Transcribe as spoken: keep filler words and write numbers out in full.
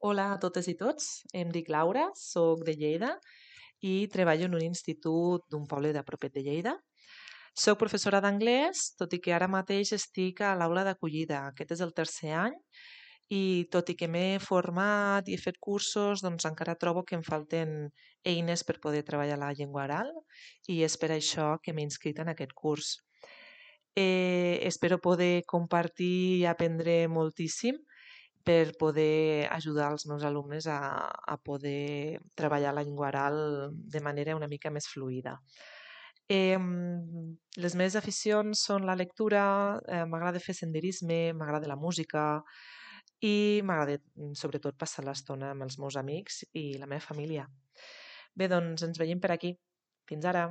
Hola a totes i tots, em dic Laura, sóc de Lleida i treballo en un institut d'un poble de propet de Lleida. Soc professora d'anglès, tot i que ara mateix estic a l'aula d'acollida. Aquest és el tercer any i tot i que m'he format i he fet cursos, doncs encara trobo que em falten eines per poder treballar la llengua oral i és per això que m'he inscrit en aquest curs. Eh, espero poder compartir i aprendre moltíssim per poder ajudar els meus alumnes a, a poder treballar la llengua oral de manera una mica més fluida. Eh, les meves aficions són la lectura, eh, m'agrada fer senderisme, m'agrada la música i m'agrada mm, sobretot passar l'estona amb els meus amics i la meva família. Bé, doncs ens veiem per aquí. Fins ara!